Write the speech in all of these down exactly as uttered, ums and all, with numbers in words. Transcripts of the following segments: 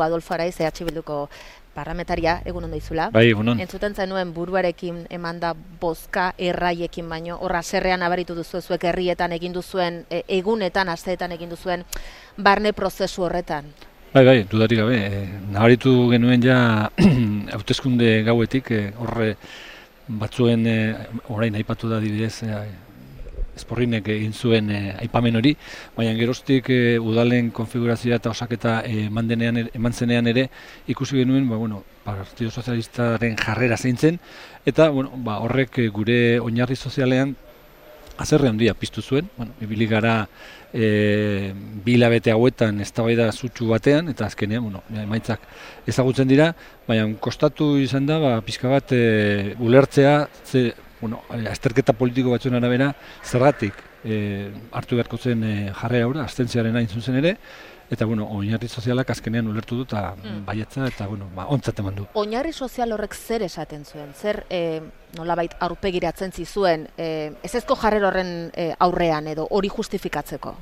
Adolfo Araiz, E H Bilduko parlamentaria, egun ondo izula. Bai, egunon. Entzuten zenuen buruarekin emanda bozka erraiekin baino, horra zerrean abaritu duzu zuek herrietan egin duzuen, e, egunetan, asteetan egin duzuen barne prozesu horretan. Bai, bai, dudarik gabe. E, nabaritu genuen ja hauteskunde gauetik, e, horre batzuen e, orain aipatu da adibidez, e, Esporrinek egin zuen e, aipamen hori, baina geroztik e, udalen konfigurazioa eta osaketa e, eman, eman zenean ere ikusi genuen, ba, bueno, Partido Sozialistaren jarrera zein zen, eta bueno, ba, horrek e, gure oinarri sozialean haserre handia piztu zuen. Bueno, ibili gara e, bi hilabete hauetan eztabaida sutsu batean, eta azkenean, bueno, emaitzak ezagutzen dira, baina kostatu izan da, ba, pixka bat e, ulertzea, ze, bueno, azterketa politiko batzuen arabera, zergatik e, hartu beharko zen e, jarrera aurra, abstentziaren hain zuzen ere, eta bueno, oinarri sozialak azkenean ulertu du eta mm. baietza eta bueno, ba, ontzat eman du. Oinarri sozial horrek zer esaten zuen? Zer e, nolabait aurpegiratzen zizuen e, ezezko jarrera horren e, aurrean edo hori justifikatzeko?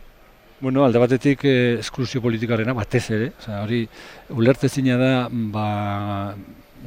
Bueno, alde batetik e, esklusio politikarena batez ere, osea, hori ulertezina da, ba,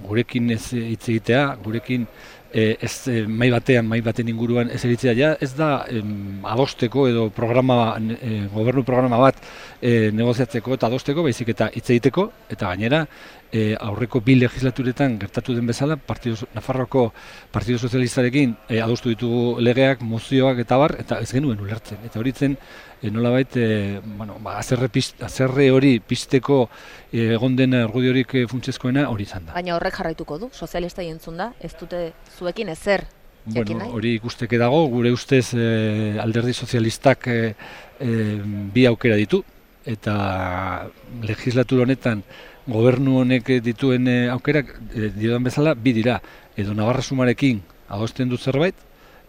gurekin ez hitz egitea, gurekin E, ez e, mai batean, mai baten inguruan ez eritzea, ja, ez da em, adosteko edo programa, e, gobernu programa bat e, negoziatzeko eta adosteko, baizik eta hitz egiteko, eta gainera e, aurreko bi legislaturetan gertatu den bezala, Partido, Nafarroko Partido Sozialistarekin e, adostu ditugu legeak, mozioak eta bar, eta ez genuen ulertzen. Eta hori zen, e, nolabait, e, bueno, ba, azerre, pist, azerre hori pizteko e, egon den argudiorik e, funtsezkoena hori izan da. Baina horrek jarraituko du, sozialista entzun da, ez dute zuekin ezer jakin nahi? Bueno, hori ikusteke dago, gure ustez e, alderdi sozialistak e, e, bi aukera ditu, eta legislatura honetan gobernu honek dituen e, aukerak e, diodan bezala bi dira, edo Navarra Sumarekin adosten dut zerbait,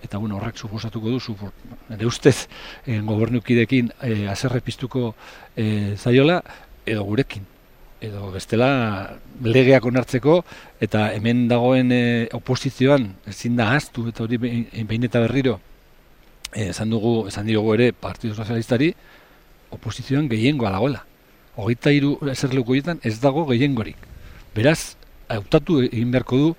eta bueno, horrek suposatuko du, supor, nire ustez e, gobernukidekin e, azerre piztuko e, zaiola, edo gurekin. Edo bestela legeak onartzeko eta hemen dagoen e, oposizioan ezin da ahaztu eta hori behin eta berriro e, esan dugu, esan diogu ere Partido Sozialistari oposizioan gehiengoa dagoela. Hogeita hiru eserleku horietan ez dago gehiengorik. Beraz, hautatu egin beharko du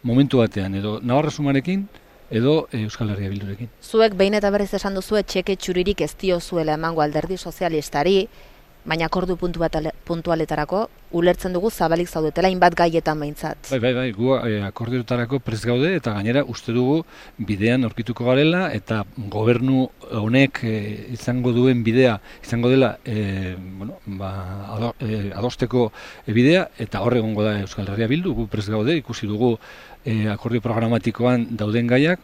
momentu batean edo Navarra Sumarekin edo e, Euskal Herria Bildurekin. Zuek behin eta berriz esan duzu txeke txuririk ez diozuela emango alderdi sozialistari, baina akordu puntualetarako ulertzen dugu zabalik zaudetela hainbat gaietan behintzat. Bai, bai, bai, gu e, akordioetarako prest gaude eta gainera uste dugu bidean aurkituko garela eta gobernu honek e, izango duen bidea, izango dela e, bueno, ba, ado, e, adosteko bidea eta hor egongo da Euskal Herria Bildu, gu prest gaude, ikusi dugu e, akordio programatikoan dauden gaiak,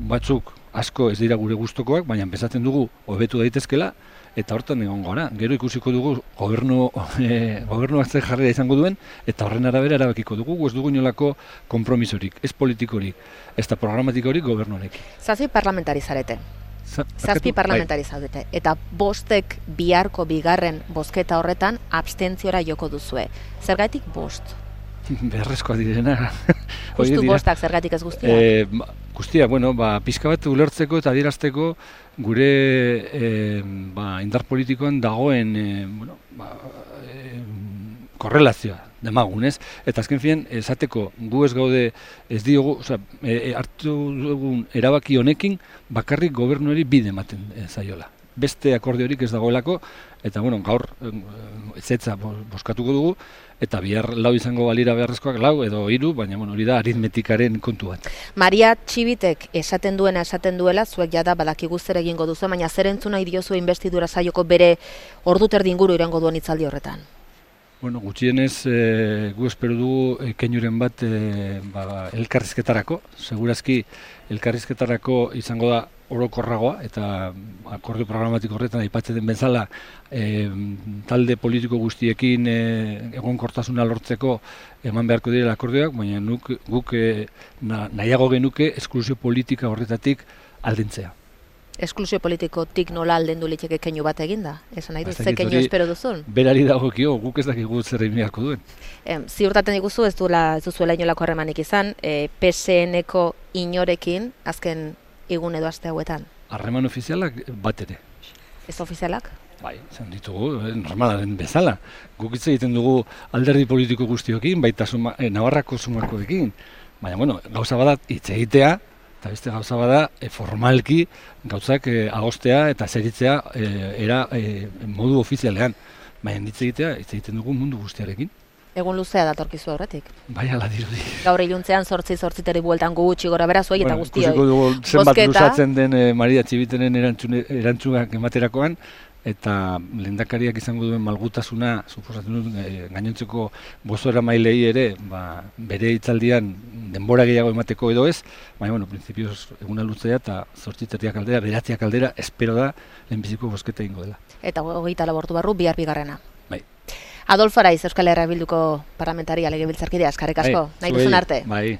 batzuk asko ez dira gure gustokoak, baina bezatzen dugu hobetu daitezkela, eta hortan egon gara. Gero ikusiko dugu gobernu e, gobernuak zer jarrera izango duen, eta horren arabera erabakiko dugu, ez dugu inolako konpromisorik, ez politikorik, ez da programatikorik gobernuarekin. Zazpi parlamentari zarete. Zazpi parlamentari zaudete. Eta bostek biharko bigarren bozketa horretan abstentziora joko duzue. Zergatik bost? Beharrezkoa direna. Justu bostak zergatik ez guztia? E, guztia, bueno, ba, pizka bat ulertzeko eta adierazteko gure e, ba, indar politikoan dagoen e, bueno, ba, e, korrelazioa demagun, ez? Eta azken finean, esateko gu ez gaude ez diogu, oza, e, hartu dugun erabaki honekin bakarrik gobernuari bide ematen e, zaiola. Beste akordiorik ez dagoelako, eta bueno, gaur ezetza boskatuko dugu, eta bihar lau izango balira beharrezkoak lau edo hiru, baina bueno, hori da aritmetikaren kontu bat. Maria Txibitek esaten duena esaten duela, zuek jada badakigu zer egingo duzu, baina zer entzuna idiozu investidura saioko bere ordu terdi inguru irango duen hitzaldi horretan? Bueno, gutxienez e, gu espero dugu e, keinuren bat e, ba, elkarrizketarako, segurazki elkarrizketarako izango da orokorragoa eta akordio programatiko horretan aipatzen den bezala e, talde politiko guztiekin e, egonkortasuna lortzeko eman beharko direla akordioak, baina nuk, guk e, na, nahiago genuke esklusio politika horretatik aldentzea. Esklusio politikotik nola aldendu liteke keinu bat eginda? Esan nahi du, ze keinu espero duzun? Berari dagokio, guk ez dakigu zer egin beharko duen. E, ziurtaten diguzu ez duela ez duzuela inolako harremanik izan, e, P S N-ko inorekin azken egun edo aste hauetan? Harreman ofizialak bat ere. Ez ofizialak? Bai, izan ditugu, eh, normalaren bezala. Guk hitz egiten dugu alderdi politiko guztiokin, baita suma, eh, Navarrako sumakoekin. Baina, bueno, gauza bada hitz egitea, eta beste gauza bada e, formalki gauzak e, agostea eta zeritzea e, era e, modu ofizialean. Baina hitz egitea, hitz egiten dugu mundu guztiarekin. Egun luzea datorkizu aurretik. Bai, ala dirudi. Gaur iluntzean sortzi sortziteri bueltan gutxi gora bera zuei eta Bueno, guztioi. ikusiko dugu zenbat Bozketa. luzatzen den e, Maria Txibitenen erantzune, erantzunak ematerakoan, eta lehendakariak izango duen malgutasuna, suposatzen dut, e, gainontzeko bozora mailei ere, ba, bere hitzaldian denbora gehiago emateko edo ez, baina, bueno, prinsipioz eguna luzea eta zortziterriak aldera, beratziak aldera, espero da lehenbiziko bozketa ingo dela. Eta hogeita labortu barru bihar bigarrena. Bai. Adolfo Araiz, Euskal Herria Bilduko parlamentaria legebiltzarkidea, eskerrik asko. Bai, Nahi zuei, duzun arte. Bai.